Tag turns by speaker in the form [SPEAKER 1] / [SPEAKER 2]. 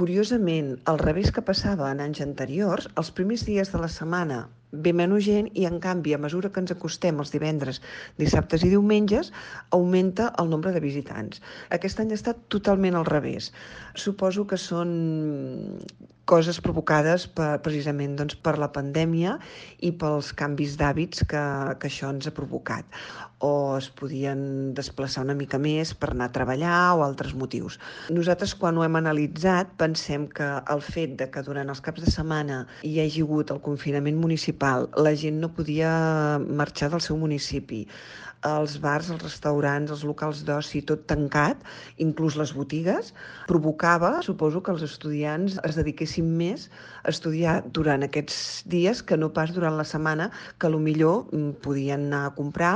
[SPEAKER 1] Curiosament, al revés que passava en anys anteriors, els primers dies de la setmana ve menys gent i, en canvi, a mesura que ens acostem els divendres, dissabtes i diumenges, augmenta el nombre de visitants. Aquest any ha estat totalment al revés. Suposo que són coses provocades precisament per la pandèmia i pels canvis d'hàbits que això ens ha provocat. O es podien desplaçar una mica més per anar a treballar o altres motius. Nosaltres, quan ho hem analitzat, pensem que el fet de que durant els caps de setmana hi hagi hagut el confinament municipal, la gent no podia marxar del seu municipi, els bars, els restaurants, els locals d'oci, tot tancat, inclús les botigues, provocava, suposo, que els estudiants es dediquessin més a estudiar durant aquests dies que no pas durant la setmana, que potser podien anar a comprar